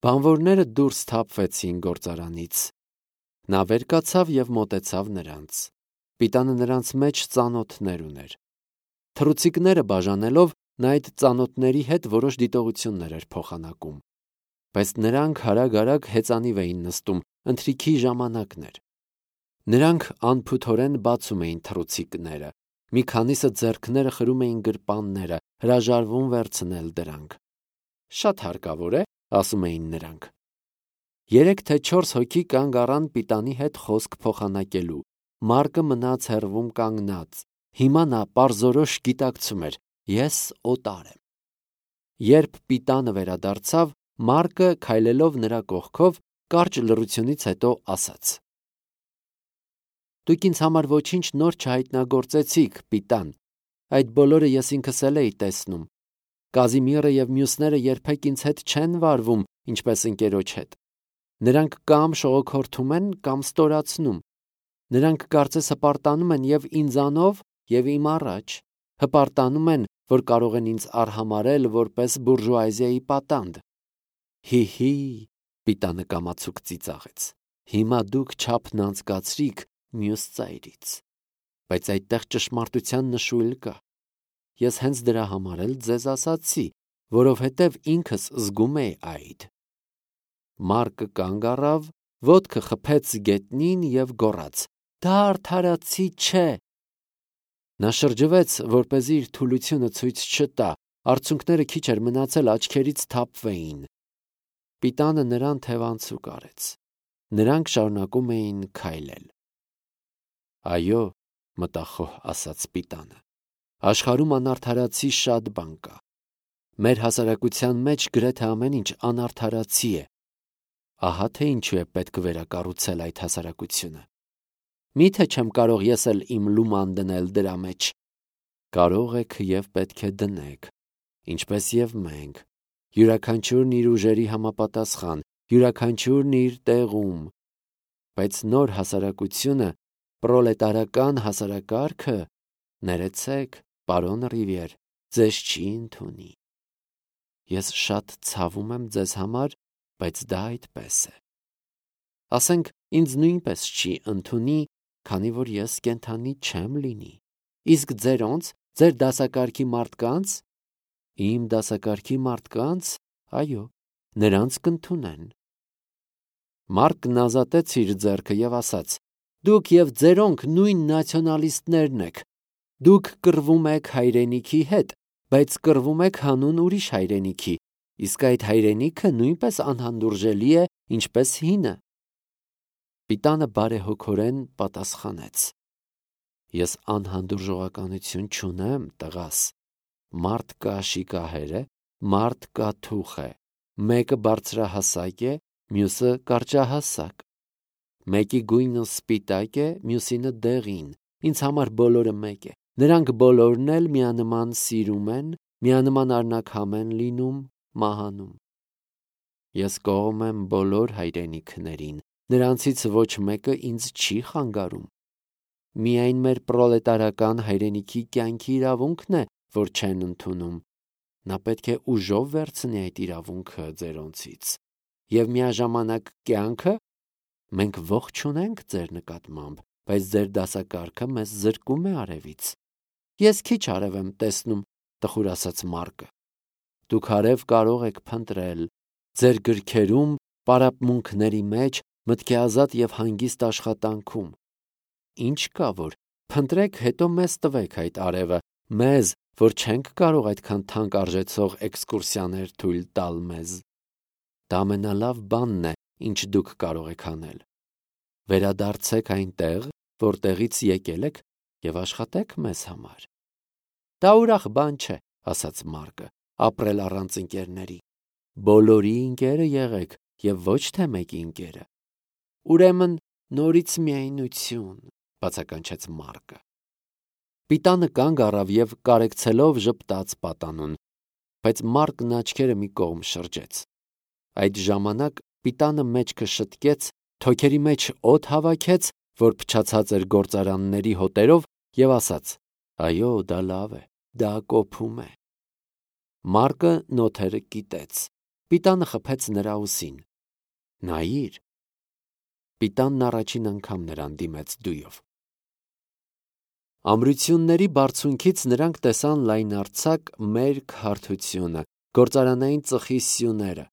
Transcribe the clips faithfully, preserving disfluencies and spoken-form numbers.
Բանվորները դուրս թափվեցին գործարանից։ Նա վեր կացավ և մոտեցավ նրանց։ Պիտանը նրանց մեջ ծանոթներ ուներ։ Թռուցիկները բաժանելով, նա այդ ծանոթների հետ որոշ դիտողություններ էր փոխանակում։ Բայց նրանք հարագ-արագ հեծանիվ էին նստում, ընթրիքի ժամանակն էր։ Նրանք անփութորեն բացում էին թռուցիկները։ Մի քանիսը ձեռքները խրում էին գրպանները, հրաժարվում վերցնել դրանք։ Շատ հարկավոր է, ասում էին նրանք։ Երեք թե չորս հոգի կանգ առան պիտանի հետ խոսք փոխանակելու։ Մարկը մնաց հեռվում կանգնած։ Հիմա նա պարզորոշ գիտակցում էր. ես օտար եմ։ Երբ պիտանը վերադարձավ, Մարկը քայլելով նրա կողքով, կարճ լռությունից հետո ասաց. Դուք ինձ համար ոչինչ նոր չհայտնագործեցիք, պիտան։ Այդ բոլորը ես ինքս էլ էի տեսնում։ Կազիմիրը և մյուսները երբեք ինձ հետ չեն վարվում, ինչպես ընկերոջ հետ։ Նրանք կամ շողոքորթում են, կամ ստորացնում։ Նրանք կարծես հպարտանում են և ինձանով, և իմ առաջ։ Հպարտանում են, որ կարող են ինձ արհամարհել որպես բուրժուազիայի պատանդ։ Հի՛, պիտանը կամացուկ ծիծաղեց։ Հիմա դուք չափն անցկացրիք մյուս ծայրից։ Բայց այդտեղ ճշմարտության նշույլ կա։ Ես հենց դրա համար էլ ձեզ ասացի, որովհետև ինքս զգում էի այդ։ Մարկը կանգ առավ, ոտքը խփեց գետնին և գոռաց. Դա արդարացի չէ։ Նա շրջվեց, որպեսզի իր թուլությունը ցույց չտա, արցունքները քիչ էր մնացել աչքերից թափվեին։ Պիտանը նրան թևանցուկ արեց։ Նրանք շարունակում էին քայլել։ Այո, մտախոհ ասաց պիտանը, աշխարհում անարդարացի շատ բան կա։ Մեր հասարակության մեջ գրեթե ամեն ինչ անարդարացի է։ Ահա թե ինչու է պետք վերակառուցել այդ հասարակությունը։ Միթե չեմ կարող ես էլ իմ լուման դնել դրա մեջ։ Կարող եք և պետք է դնեք, ինչպես և մենք, յուրաքանչյուրն իր ուժերի համապատասխան, յուրաքանչյուրն իր տեղում։ Բայց նոր հասարակությունը, պրոլետարական հասարակարգը, ներեցեք, պարոն Ռիվիեր, ձեզ չի ընդունի։ Ես շատ ցավում եմ ձեզ համար, բայց դա այդպես է։ Ասենք, ինձ նույնպես չի ընդունի, քանի որ ես կենդանի չեմ լինի։ Իսկ ձերոնց, ձեր դասակարգի մարդկանց, իմ դասակարգի մարդկանց, այո, նրանց կընդունեն։ Մարկն ազատեց իր ձեռքը և ասաց. Դուք և ձերոնք նույն նացիոնալիստներն եք։ Դուք կռվում եք հայրենիքի հետ, բայց կռվում եք հանուն ուրիշ հայրենիքի, իսկ այդ հայրենիքը նույնպես անհանդուրժելի է, ինչպես հինը։ Պիտանը բարեհոգորեն պատասխանեց. Ես անհանդուրժողականություն չունեմ, տղաս։ Մարդ կա շիկահեր է, մարդ կա թուխ է։ Մեկը բարձրահասակ է, մյուսը կարճահասակ։ Մեկի գույնը սպիտակ է, մյուսինը դեղին։ Ինձ համար բոլորը մեկ է։ Նրանք բոլորն էլ միանման սիրում են, միանման արնաքամ են լինում, մահանում։ Ես կողմ եմ բոլոր հայրենիքներին, նրանցից ոչ մեկը ինձ չի խանգարում։ Միայն մեր պրոլետարական հայրենիքի կյանքի իրավունքն է, որ չեն ընդունում։ Նա պետք է ուժով վերցնի այդ իրավունքը ձերոնցից։ Եվ միաժամանակ կյանքը, մենք ողջ չունենք ձեր նկատմամբ, բայց ձեր դասակարգը մեզ զրկում է արևից։ Ես քիչ արև եմ տեսնում, տխուր ասաց Մարկը։ Դուք արև կարող եք փնտրել ձեր գրքերում, պարապմունքների մեջ, մտքի ազատ և հանգիստ աշխատանքում։ Ինչ կա որ, փնտրեք, հետո մեզ տվեք այդ արևը, մեզ, որ չենք կարող այդքան թանկ արժեցող էքսկուրսիաներ թույլ տալ մեզ։ Դա ամենալավ բանն է, ինչ դուք կարող եք անել։ Վերադարձեք այնտեղ, որտեղից եկել եք, և աշխատեք մեզ համար։ Դա ուրախ բան չէ, ասաց Մարկը, ապրել առանց ընկերների։ Բոլորի ընկերը եղեք և ոչ թե մեկի ընկերը։ Ուրեմն նորից միայնություն, բացականչեց Մարկը։ Պիտանը կանգ առավ և կարեկցելով ժպտաց պատանուն, բայց Մարկն աչքերը մի կողմ շրջեց։ Այդ ժամանակ պիտանը մեջքը շտկեց, թոքերի մեջ օդ հավաքեց, որ փչացած էր գործարանների հոտերով, և ասաց. այո, դա լավ է, դա կոփում է։ Մարկը նոթերը կիտեց։ Պիտանը խփեց նրա ուսին։ Նայիր։ Պիտանն առաջին անգամ նրան դիմեց դույով։ Ամրությունների բարձունքից նրանք տեսան լայնարձակ մերկ հարթությունը, գործարանային ծխի սյուները։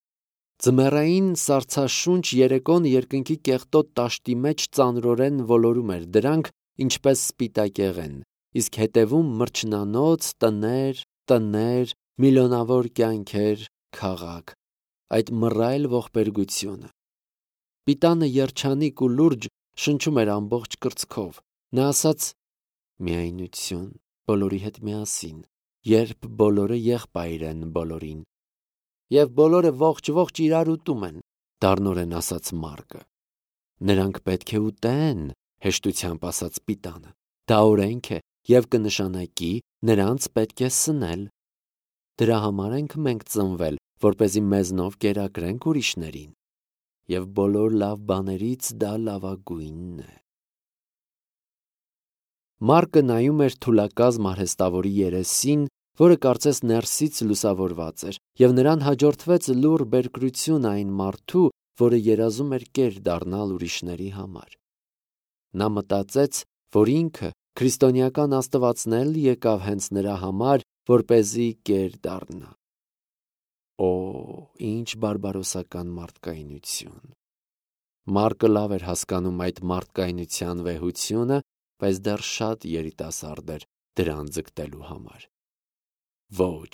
Ձմեռային սառցաշունչ երեկոն երկնքի կեղտոտ տաշտի մեջ ծանրորեն ոլորում էր դրանք, ինչպես սպիտակեղեն, իսկ հետևում մրջնանոց, տներ, տներ, միլիոնավոր կյանքեր, քաղաք, այդ մռայլ ողբերգությունը։ Պիտանը երջանիկ ու լուրջ շնչում էր ամբողջ կրծքով։ Նա ասաց. «Միայնություն բոլորի հետ միասին, երբ բոլորը եղբայր են բոլորին»։ Եվ բոլորը ողջ-ողջ իրար ուտում են, դառնորեն ասաց Մարկը։ Նրանք պետք է ուտեն, հեշտությամբ ասաց Պիտանը։ Դա օրենք է և կնշանակի նրանց պետք է սնել։ Դրա համար ենք մենք ծնվել, որպեսզի մեզնով կերակրենք ուրիշներին։ Եվ բոլոր լավ բաներից դա լավագույնն է։ Մարկը նայում էր թուլակազմ արհեստավորի երեսին, որը կարծես ներսից լուսավորված էր, և նրան հաջորդվեց լուռ բերկրություն այն մարդու, որը երազում էր կեր դառնալ ուրիշների համար։ Նա մտածեց, որ ինքը քրիստոնեական աստվածն էլ եկավ հենց նրա համար, որպեսզի կեր դառնա։ Օ, ինչ բարբարոսական մարդկայնություն։ Մարկը լավ էր հասկանում այդ մարդկայնության վեհությունը, բայց դեռ շատ երիտասարդ էր դրան ձգտելու համար։ Ոչ,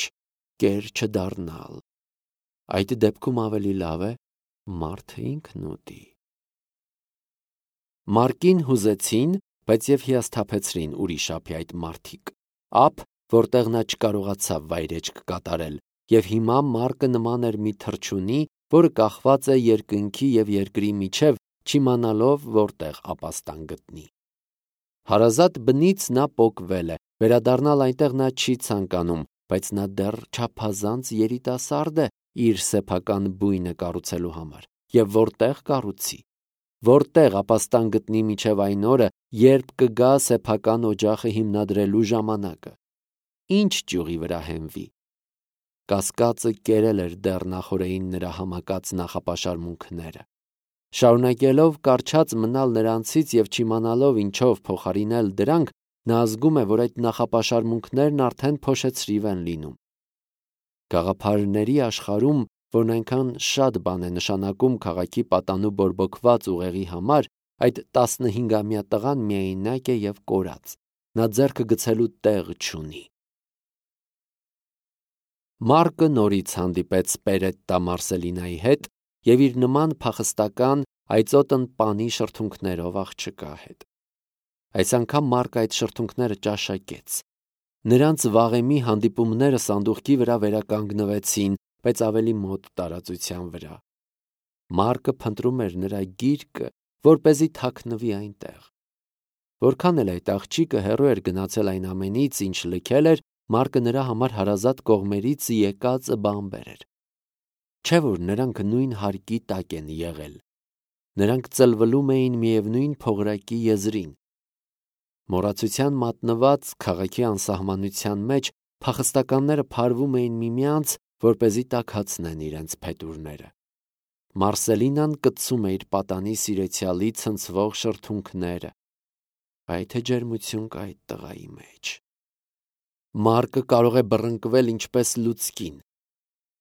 կեր չդառնալ։ Այդ դեպքում ավելի լավ է մարդը ինքն ուտի։ Մարկին հուզեցին, բայց և հիասթափեցրին ուրիշ ափի այդ մարդիկ, ափ, որտեղ նա չկարողացավ վայրեջք կատարել, և հիմա Մարկը նման էր մի թռչունի, որը կախված է երկնքի և երկրի միջև, չիմանալով որտեղ ապաստան գտնի։ Հարազատ բնից նա պոկվել է, վերադառնալ այնտեղ նա չի ցանկանում, բայց նա դեռ չափազանց երիտասարդ է իր սեփական բույնը կառուցելու համար, և որտեղ կառուցի, որտեղ ապաստան գտնի մինչև այն օրը, երբ կգա սեփական օջախը հիմնադրելու ժամանակը, ինչ ճյուղի վրա հենվի։ Կասկածը կերել էր դեռ նախօրեին նրա համակած նախապաշարմունքները։ Շարունակելով կառչած մնալ նրանցից և չիմանալով ինչով փոխարինել դրանք, նա զգում է, որ այդ նախապաշարմունքներն արդեն փոշեցրիվ են լինում։ Գաղափարների աշխարհում, որն այնքան շատ բան է նշանակում քաղաքի պատանու բորբոքված ուղեղի համար, այդ տասնհինգամյա տղան միայնակ է և կորած։ Նա ձեռքը գցելու տեղ չունի։ Մարկը նորից հանդիպեց Պերետտա Մարսելինայի հետ և իր նման փախստական այծոտն պանի շրթունքներով աղջկա հետ։ Այս անգամ Մարկը այդ շրթունքները ճաշակեց։ Նրանց վաղեմի հանդիպումները սանդուղքի վրա վերականգնվեցին, բայց ավելի մոտ տարածության վրա։ Մարկը փնտրում էր նրա գիրկը, որպեսզի թաքնվի այնտեղ։ Որքան էլ այդ աղջիկը հեռու էր գնացել այն ամենից, ինչ լքել էր, Մարկը նրա համար հարազատ կողմերից եկած բան բերեր։ Չէ՞ որ նրանք նույն հարկի տակ են եղել։ Նրանք ծլվլում էին միևնույն փողրակի եզրին։ Մոռացության մատնված քաղաքի անսահմանության մեջ փախստականները փարվում էին միմյանց, որպեսզի տաքացնեն իրենց փետուրները։ Մարսելինան կծում է իր պատանի սիրեցյալի ցնցվող շրթունքները։ Այ թե ջերմություն կա այդ տղայի մեջ։ Մարկը կարող է բռնկվել ինչպես լուցկին։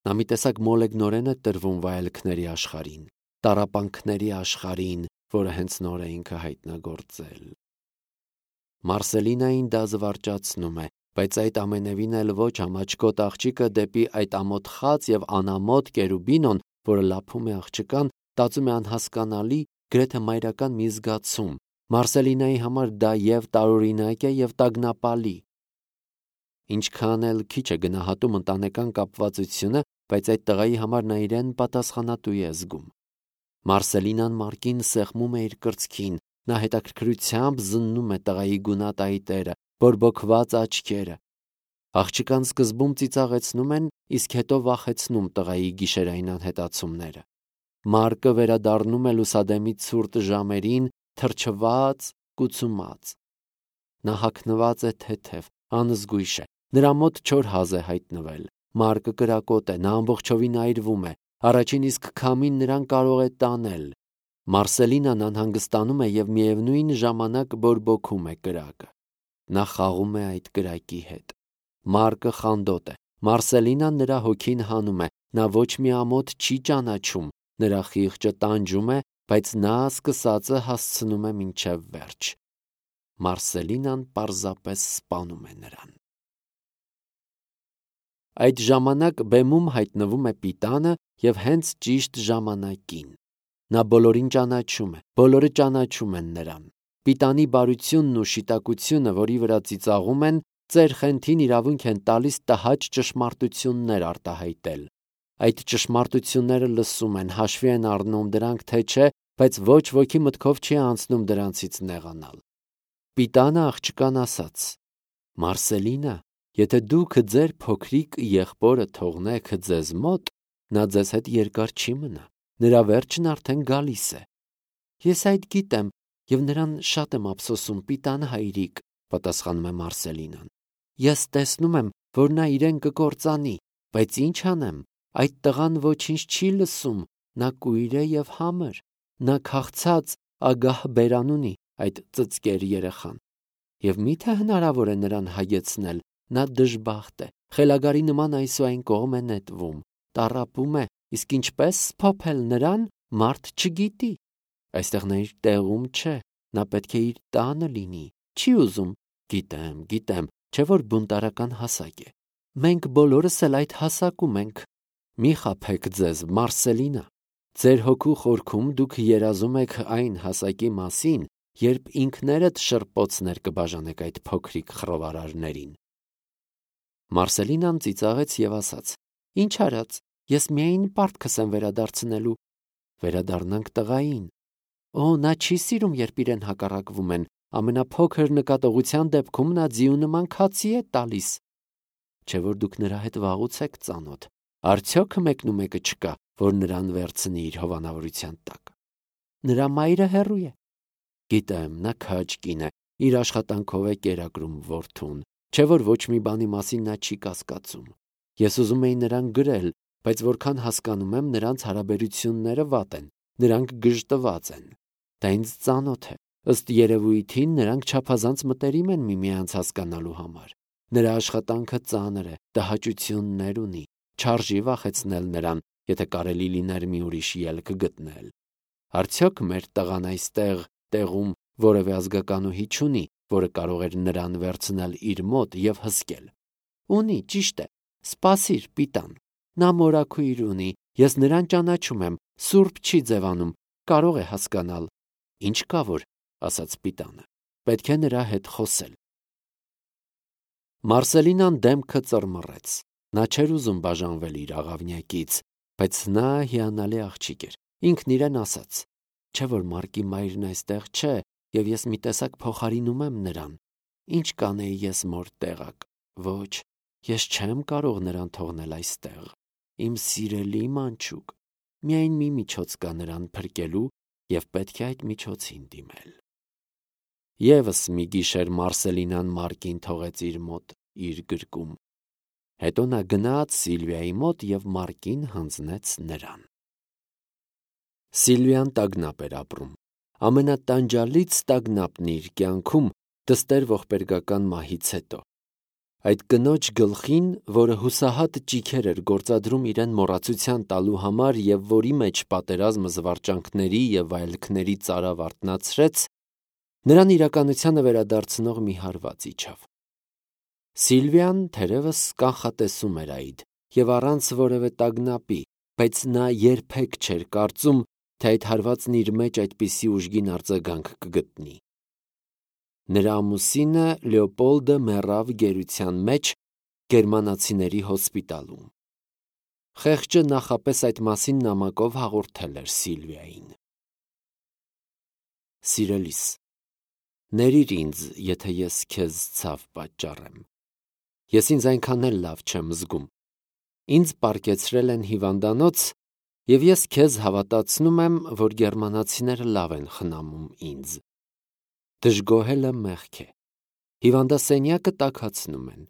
Նա մի տեսակ մոլեգնորեն է տրվում վայելքների աշխարհին, տառապանքների աշխարհին, որը հենց նոր է ինքը հայտնագործել։ Մարսելինային դա զվարճացնում է, բայց այդ ամենևին էլ ոչ ամաչկոտ աղջիկը դեպի այդ ամոթխած և անամոթ Կերուբինոն, որը լափում է աղջկան, տածում է անհասկանալի, գրեթե մայրական մի զգացում։ Մարսելինայի համար դա և տարօրինակ է, և տագնապալի։ Ինչքան էլ քիչ է գնահատում ընտանեկան կապվածությունը, բայց այդ տղայի համար նա իրեն պատասխանատու է զգում։ Մարսելինան Մարկին սեղմում է իր կրծքին, նա հետաքրքրությամբ զննում է տղայի գունատայտերը, բորբոքված աչքերը։ Աղջկան սկզբում ծիծաղեցնում են, իսկ հետո վախեցնում տղայի գիշերային անհետացումները։ Մարկը վերադառնում է լուսադեմի ցուրտ ժամերին, թրջված, կուծումած։ Նա հագնված է թեթև, անզգույշ է, նրա մոտ չոր հազ է հայտնվել։ Մարկը կրակոտ է, նա ամբողջովին այրվում է, Առաջին իսկ քամին նրան կարող է տանել։ Մարսելինան անհանգստանում է և միևնույն ժամանակ բորբոքում է կրակը։ Նա խաղում է այդ կրակի հետ։ Մարկը խանդոտ է։ Մարսելինան նրա հոգին հանում է։ Նա ոչ մի ամոթ չի ճանաչում։ Նրա խիղճը տանջում է, բայց նա սկսածը հասցնում է մինչև վերջ։ Մարսելինան պարզապես սպանում է նրան։ Այդ ժամանակ բեմում հայտնվում է Պիտանը և հենց ճիշտ ժամանակին։ Նա բոլորին ճանաչում է, բոլորը ճանաչում են նրան։ Պիտանի բարությունն ու շիտակությունը, որի վրա ծիծաղում են, ծեր խենթին իրավունք են տալիս տհաճ ճշմարտություններ արտահայտել։ Այդ ճշմարտությունները լսում են, հաշվի են առնում դրանք, թե չէ, բայց ոչ ոքի մտքով չի անցնում դրանցից նեղանալ։ Պիտանը աղջկան ասաց. «Մարսելինա, եթե դուք ձեր փոքրիկ եղբորը թողնեք ձեզ մոտ, նա ձեզ հետ երկար չի մնա, նրա վերջն արդեն գալիս է»։ «Ես այդ գիտեմ և նրան շատ եմ ափսոսում, Պիտան հայրիկ», պատասխանում է Մարսելինան։ «Ես տեսնում եմ, որ նա իրեն կկործանի, բայց ինչ անեմ, այդ տղան ոչինչ չի լսում, նա կույր է և համր, նա քաղցած, ագահ բերան ունի, այդ ծծկեր երեխան։ Եվ մի՞թե հնարավոր է նրան հայեցնել, նա դժբախտ է, խելագարի նման այսուայն կողմ է նետվում, տառապում է, իսկ ինչպես սփոփել նրան, մարդ չգիտի։ Այստեղ նա իր տեղում չէ, նա պետք է իր տանը լինի, չի ուզում։ Գիտեմ, գիտեմ, չէ որ բունտարական հասակ է։ Մենք բոլորս էլ այդ հասակում ենք։ Մի խաբեք ձեզ, Մարսելինա։ Ձեր հոգու խորքում դուք երազում եք այն հասակի մասին, երբ ինքներդ շրպոցներ կբաժանեք այդ փոքրիկ խռովարարներին»։ Մարսելինան ծիծաղեց և ասաց. «Ինչ արած, ես միայն պարտքս եմ վերադարձնելու»։ «Վերադառնանք տղային»։ «Օ, նա չի սիրում, երբ իրեն հակառակվում են, ամենափոքր նկատողության դեպքում նա ձիու նման քացի է տալիս»։ «Չէ որ դուք նրա հետ վաղուց եք ծանոթ, արդյոք մեկնումեկը չկա, որ նրան վերցնի իր հովանավորության տակ»։ «Նրա մայրը հեռու է»։ «Գիտեմ, նա քաջ կին է, իր աշխատանքով է կերակրում որդուն, չէ որ ոչ մի բանի մասին նա չի կասկածում։ Ես ուզում էի նրան գրել, բայց որքան հասկանում եմ, նրանց հարաբերությունները վատ են, նրանք գժտված են։ Դա ինձ ծանոթ է, ըստ երևույթին նրանք չափազանց մտերիմ են միմյանց հասկանալու համար։ Նրա աշխատանքը ծանր է, տհաճություններ ունի, չարժի վախեցնել նրան, եթե կարելի լիներ մի ուրիշ ելք գտնել։ Արդյոք մեր տղան այստեղ տեղում որևէ ազգականուհի չունի, որը կարող էր նրան վերցնել իր մոտ և հսկել։ Ունի, ճիշտ է, սպասիր, Պիտան, նա մորաքույր ունի, ես նրան ճանաչում եմ, սուրբ չի ձևանում, կարող է հասկանալ։ Ինչ կա որ, ասաց Պիտանը, պետք է նրա հետ խոսել։ Մարսելինան դեմքը ծռմռեց։ Նա չէր ուզում բաժանվել իր աղավնյակից, բայց նա հիանալի աղջիկ էր։ Ինքն իրեն ասաց. «Չէ որ Մարկի մայրն այստեղ չէ, և ես մի տեսակ փոխարինում եմ նրան։ Ինչ կանեի ես մոր տեղակ։ Ոչ, ես չեմ կարող նրան թողնել այստեղ։ Իմ սիրելի մանչուկ, միայն մի միջոց կա նրան փրկելու, և պետք է այդ միջոցին դիմել»։ Եվս մի գիշեր Մարսելինան Մարկին թողեց իր մոտ իր գրկում։ Հետո նա գնաց Սիլվիայի մոտ և Մարկին հանձնեց նրան։ Սիլվիան տագնապ էր ապրում։ Ամենատանջալից տագնապն իր կյանքում դստեր ողբերգական մահից հետո։ Այդ կնոջ գլխին, որը հուսահատ ճիգեր էր գործադրում իրեն մոռացության տալու համար և որի մեջ պատերազմը զվարճանքների և վայելքների ծարավ արթնացրեց, նրան իրականությանը վերադարձնող մի հարված իջավ։ Սիլվիան թերևս կանխատեսում էր այդ և առանց որևէ տագնապի, բայց նա երբեք չէր կարծում, թե այդ հարվածն իր մեջ այդպիսի ուժգին արձագանք կգտնի։ Նրա ամուսինը Լեոպոլդը մեռավ գերության մեջ գերմանացիների հոսպիտալում։ Խեղճը նախապես այդ մասին նամակով հաղորդել էր Սիլվիային։ Սիրելիս, ներիր ինձ, եթե ես քեզ ցավ պատճառեմ։ Ես ինձ այնքան էլ լավ չեմ զգում։ Ինձ պառկեցրել են հիվանդանոց, և ես քեզ հավատացնում եմ, որ գերմանացիները լավ են խնամում ինձ։ Դժգոհելը մեղք է։ Հիվանդասենյակը տաքացնում են։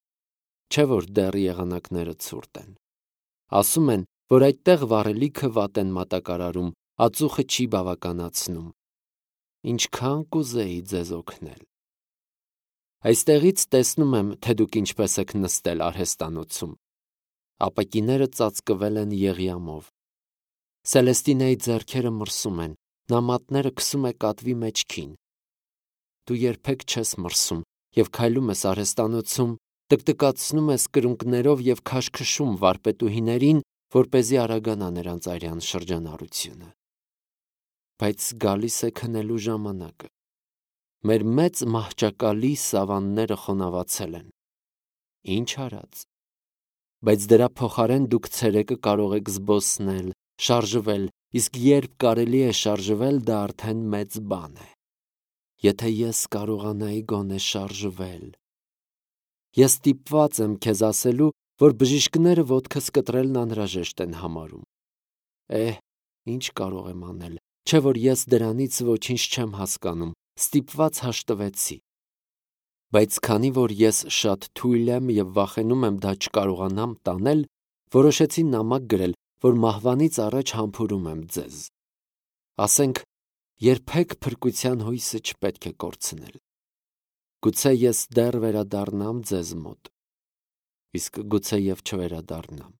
Չէ որ դեռ եղանակները ցուրտ են։ Ասում են, որ այդտեղ վառելիքը վատ են մատակարարում, ածուխը չի բավականացնում։ Ինչքան կուզեի ձեզ օգնել։ Այստեղից տեսնում եմ, թե դուք ինչպես եք նստել արհեստանոցում։ Ապակիները ծածկվել են եղյամով։ Սելեստինեի ձեռքերը մրսում են, նամատները քսում է կատվի մեջքին։ Դու երբեք չես մրսում և քայլում ես արհեստանոցում, տկտկացնում ես կրունկներով և քաշքշում վարպետուհիներին, որպեսզի արագանա նրանց արյան շրջանառությունը։ Բայց գալիս է քնելու ժամանակը։ Մեր մեծ մահճակալի սավանները խոնավացել են։ Ինչ արած։ Բայց դրա փոխարեն դուք ցերեկը կարող եք զբոսնել, շարժվել, իսկ երբ կարելի է շարժվել, դա արդեն մեծ բան է։ Եթե ես կարողանայի գոնե շարժվել։ Ես ստիպված եմ քեզ ասելու, որ բժիշկները ոտքս կտրելն անհրաժեշտ են համարում։ Էհ, ինչ կարող եմ անել, չէ որ ես դրանից ոչինչ չեմ հասկանում, ստիպված հաշտվեցի։ Բայց քանի որ ես շատ թույլ եմ և վախենում եմ դա չկարողանամ տանել, որոշեցի նամակ գրել, որ մահվանից առաջ համբուրում եմ ձեզ։ Ասենք, երբեք փրկության հույսը չպետք է կորցնել։ Գուցե ես դեռ վերադառնամ ձեզ մոտ, իսկ գուցե և չվերադառնամ։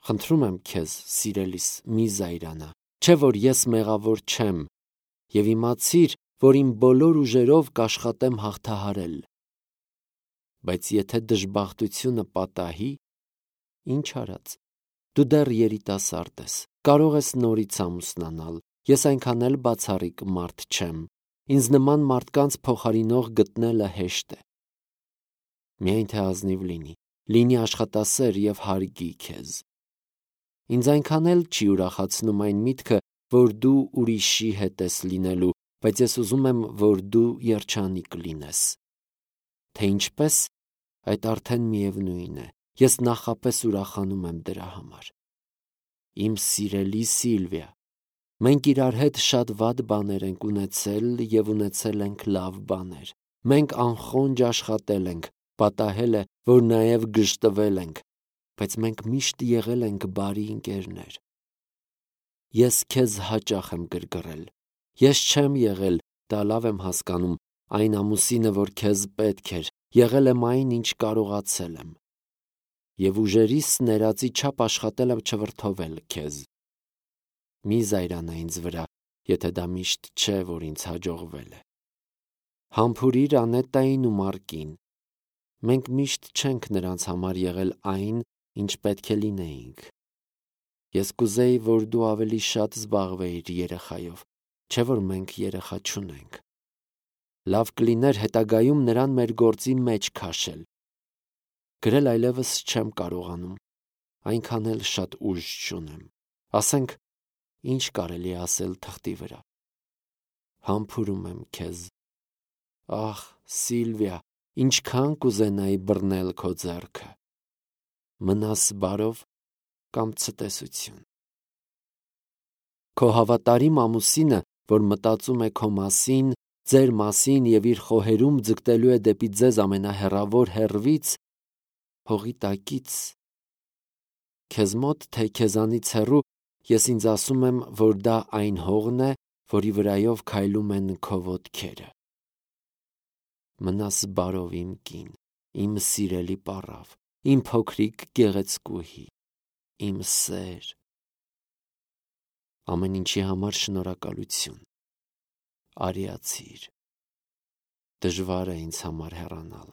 Խնդրում եմ քեզ, սիրելիս, մի զայրանա, չէ որ ես մեղավոր չեմ, և իմացիր, որ իմ բոլոր ուժերով կաշխատեմ հաղթահարել։ Բայց եթե դժբախտությունը պատահի, ինչ արած, դու դեռ երիտասարդ ես, կարող ես նորից ամուսնանալ, ես այնքան էլ բացառիկ մարդ չեմ, ինձ նման մարդկանց փոխարինող գտնելը հեշտ է։ Միայն թե ազնիվ լինի, լինի աշխատասեր և հարգի քեզ։ Ինձ այնքան էլ չի ուրախացնում այն միտքը, որ դու ուրիշի հետ ես լինելու, բայց ես ուզում եմ, որ դու երջանիկ լինես։ Թե ինչպես, այդ արդեն միևնույն է, ես նախապես ուրախանում եմ դրա համար։ Իմ սիրելի Սիլվիա, մենք իրար հետ շատ վատ բաներ ենք ունեցել և ունեցել ենք լավ բաներ։ Մենք անխոնջ աշխատել ենք, պատահել է, որ նաև գժտվել ենք, բայց մենք միշտ եղել ենք բարի ընկերներ։ Ես քեզ հաճախ եմ գրգռել։ Ես չեմ եղել, դա լավ եմ հասկանում, այն ամուսինը, որ քեզ պետք էր, եղել եմ այն, ինչ կարողացել եմ։ Եվ ուժերիս ներածի չափ աշխատել եմ չվրդովել քեզ։ Մի զայրանա ինձ վրա, եթե դա միշտ չէ, որ ինձ հաջողվել է։ Համբուրիր Անետային ու Մարկին։ Մենք միշտ չենք նրանց համար եղել այն, ինչ պետք է լինեինք։ Ես կուզեի, որ դու ավելի շատ զբաղվեիր երեխայով, չէ որ մենք երեխա չունենք։ Լավ կլիներ հետագայում նրան մեր գործի մեջ քաշել։ Գրել այլևս չեմ կարողանում, այնքան էլ շատ ուժ չունեմ։ Ասենք, ինչ կարելի է ասել թղթի վրա։ Համբուրում եմ քեզ։ Ախ, Սիլվիա, ինչքան կուզենայի բռնել քո ձեռքը։ Մնաս բարով կամ ցտեսություն։ Քո հավատարիմ ամուսինը, որ մտածում է քո մասին, ձեր մասին և իր խոհերում ձգտելու է դեպի ձեզ ամենահեռավոր հեռվից, հողի տակից, քեզ մոտ, թե քեզանից հեռու, ես ինձ ասում եմ, որ դա այն հողն է, որի վրայով քայլում են քո ոտքերը։ Մնաս բարով իմ կին, իմ սիրելի պառավ, իմ փոքրիկ գեղեցկուհի, իմ սեր։ Ամեն ինչի համար շնորհակալություն։ Արիացիր։ Դժվար է ինձ համար հեռանալ։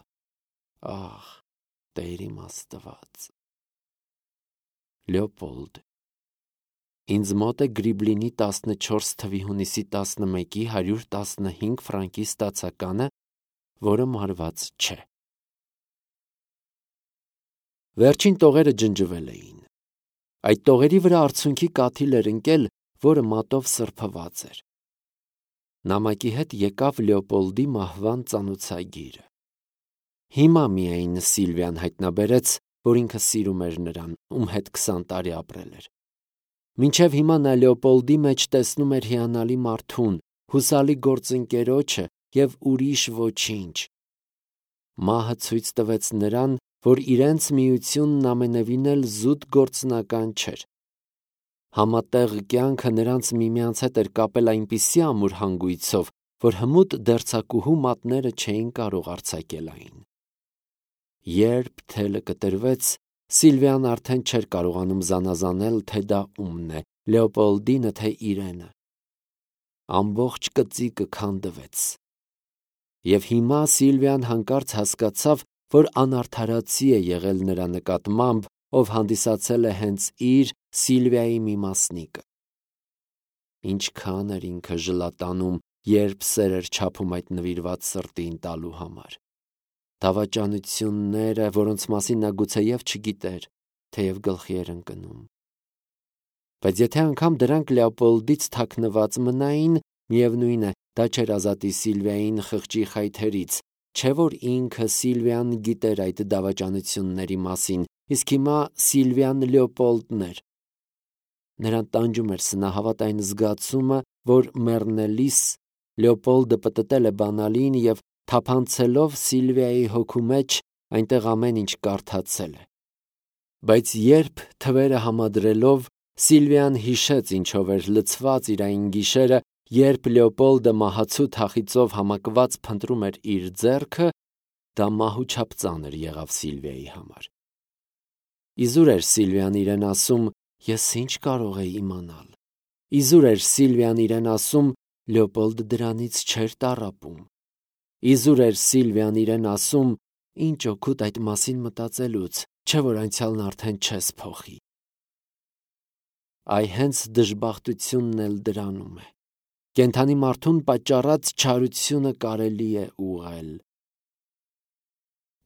Ախ, Տեր իմ Աստված։ Լեոպոլդ։ Ինձ մոտ է Գրիբլինի տասնչորս թվի հունիսի տասնմեկի հարյուր տասնհինգ ֆրանկի ստացականը, որը մարված չէ։ Վերջին տողերը ջնջվել էին։ Այդ տողերի վրա արցունքի կաթիլ էր ընկել, որը մատով սրբված էր։ Նամակի հետ եկավ Լեոպոլդի մահվան ծանոցագիրը։ Հիմա միայն Սիլվիան հայտնաբերեց, որ ինքը սիրում էր նրան, ում հետ քսան տարի ապրել էր։ Մինչև հիմա նա Լեոպոլդի մեջ տեսնում էր հիանալի մարդուն, հուսալի գործընկերոջը և ուրիշ ոչինչ։ Մահը ցույց տվեց նրան, որ իրենց միությունն ամենևին էլ զուտ գործնական չէր։ Համատեղ կյանքը նրանց միմյանց հետ էր կապել այնպիսի ամուր հանգույցով, որ հմուտ դերձակուհու մատները չէին կարող արձակել այն։ Երբ թելը կտրվեց, Սիլվիան արդեն չէր կարողանում զանազանել, թե դա ումն է, Լեոպոլդինը, թե իրենը։ Ամբողջ կծիկը քանդվեց։ Եվ հիմա Սիլվիան հանկարծ հասկացավ, որ անարդարացի է եղել նրա նկատմամբ, ով հանդիսացել է հենց իր Սիլվիայի մի մասնիկը։ Ինչքան էր ինքը ժլատանում, երբ սեր էր չափում այդ նվիրված սրտին տալու համար։ Դավաճանությունները, որոնց մասին նա գուցեև չգիտեր, թեև գլխի էր ընկնում։ Բայց եթե անգամ դրանք Լեոպոլդից թաքնված մնային, միևնույն է, դա չէր ազատի Սիլվիային խղճի խայթերից, չէ որ ինքը Սիլվիան գիտեր այդ դավաճանությունների մասին, իսկ հիմա Սիլվիան Լեոպոլդն էր։ Նրան տանջում էր սնահավատ այն զգացումը, որ մեռնելիս Լեոպոլդը պտտել է բանալին և թափանցելով Սիլվիայի հոգու մեջ այնտեղ ամեն ինչ կարդացել է։ Բայց երբ թվերը համադրելով Սիլվիան հիշեց ինչով էր լցված իր այն գիշերը, երբ Լեոպոլդը մահացու թախիծով համակված փնտրում էր իր ձեռքը, դա մահու չափ ծանր եղավ Սիլվիայի համար։ Իզուր էր Սիլվիան իրեն ասում. «Ես ինչ կարող էի իմանալ»։ Իզուր էր Սիլվիան իրեն ասում. «Լեոպոլդը դրանից չէր տառապում»։ Իզուր էր Սիլվիան իրեն ասում. «Ինչ օգուտ այդ մասին մտածելուց, չէ որ անցյալն արդեն չես փոխի»։ Այ հենց դժբախտությունն էլ դրանում է։ Կենդանի մարդուն պատճառած չարությունը կարելի է ուղղել։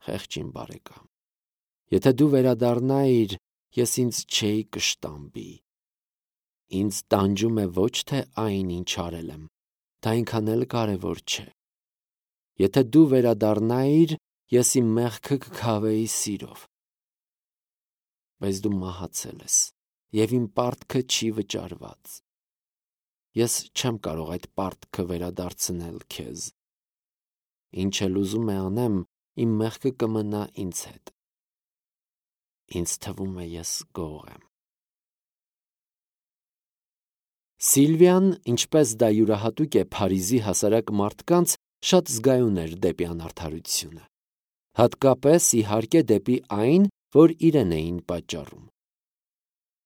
Խեղճ իմ բարեկամ, եթե դու վերադառնայիր, ես ինձ չէի կշտամբի։ Ինձ տանջում է ոչ թե այն, ինչ արել եմ, դա այնքան էլ կարևոր չէ։ Եթե դու վերադառնայիր, ես իմ մեղքը կքավեի սիրով։ Բայց դու մահացել ես, և իմ պարտքը չի վճարված։ Ես չեմ կարող այդ պարտքը վերադարձնել քեզ։ Ինչ էլ ուզում է անեմ, իմ մեղքը կմնա ինձ հետ։ Ինձ թվում է, ես գող եմ։ Սիլվիան, ինչպես դա յուրահատուկ է Փարիզի հասարակ մարդկանց, շատ զգայուն էր դեպի անարդարությունը։ Հատկապես, իհարկե, դեպի այն, որ իրեն էին պատճառում։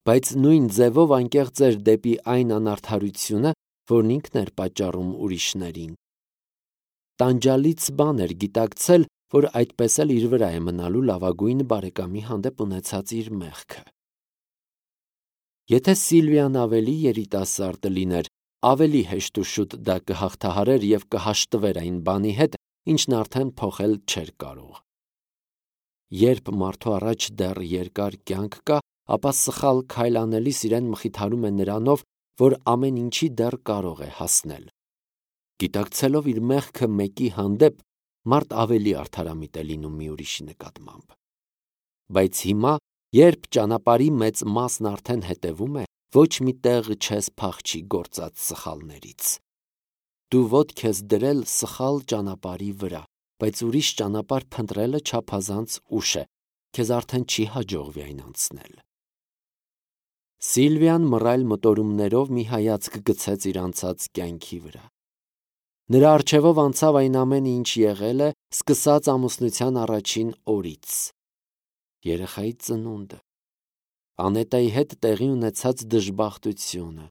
Բայց նույն ձևով անկեղծ էր դեպի այն անարդարությունը, որն ինքն էր պատճառում ուրիշներին։ Տանջալից բան էր գիտակցել, որ այդպես էլ իր վրա է մնալու լավագույն բարեկամի հանդեպ ունեցած իր մեղքը։ Եթե Սիլվիան ավելի երիտասարդ լիներ, ավելի հեշտ ու շուտ դա կհաղթահարեր և կհաշտվեր այն բանի հետ, ինչն արդեն փոխել չէր կարող։ Երբ մարդու առաջ դեռ երկար կյանք կա, ապա սխալ քայլ անելիս իրեն մխիթարում է նրանով, որ ամեն ինչի դեռ կարող է հասնել։ Գիտակցելով իր մեղքը մեկի հանդեպ, մարդ ավելի արդարամիտ է լինում մի ուրիշի նկատմամբ։ Բայց հիմա, երբ ճանապարհի մեծ մասն արդեն հետևում է, ոչ մի տեղ չես փախչի գործած սխալներից։ Դու ոտք ես դրել սխալ ճանապարհի վրա, բայց ուրիշ ճանապարհ փնտրելը չափազանց ուշ է, քեզ արդեն չի հաջողվի այն անցնել։ Սիլվիան մռայլ մտորումներով մի հայացք գցեց իր անցած կյանքի վրա։ Նրա առջևով անցավ այն ամենը, ինչ եղել է, սկսած ամուսնության առաջին օրից։ Երեխայի ծնունդը, Անետայի հետ տեղի ունեցած դժբախտությունը,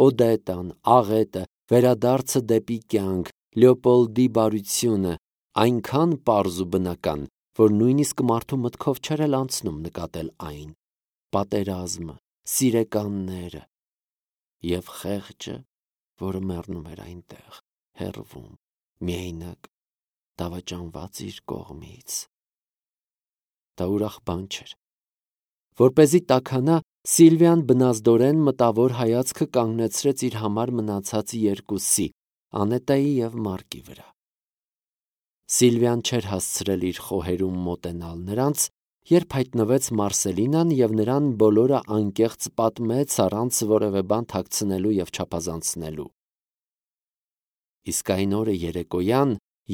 Օդետան, աղետը, վերադարձը դեպի կյանք, Լեոպոլդի բարությունը, այնքան պարզ ու բնական, որ նույնիսկ մարդու մտքով չէր էլ անցնում նկատել այն, պատերազմը, սիրեկանները և խեղճը, որը մեռնում էր այնտեղ, հեռվում, միայնակ, դավաճանված իր կողմից։ Դա ուրախ բան չէր։ Որպեսզի տաքանա, Սիլվիան բնազդորեն մտավոր հայացքը կանգնեցրեց իր համար մնացած երկուսի՝ Անետայի և Մարկի վրա։ Սիլվիան չէր հասցրել իր խոհերում մոտենալ նրանց, երբ հայտնվեց Մարսելինան և նրան բոլորը անկեղծ պատմեց առանց որևէ բան թաքցնելու և չափազանցնելու։ Իսկ այն օրը երեկոյան,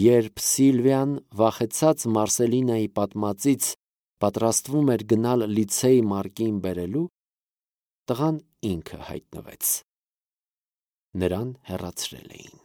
երբ Սիլվիան, վախեցած Մարսելինայի պատմածից, պատրաստվում էր գնալ լիցեյ Մարկին բերելու, տղան ինքը հայտնվեց։ Նրան հեռացրել էին։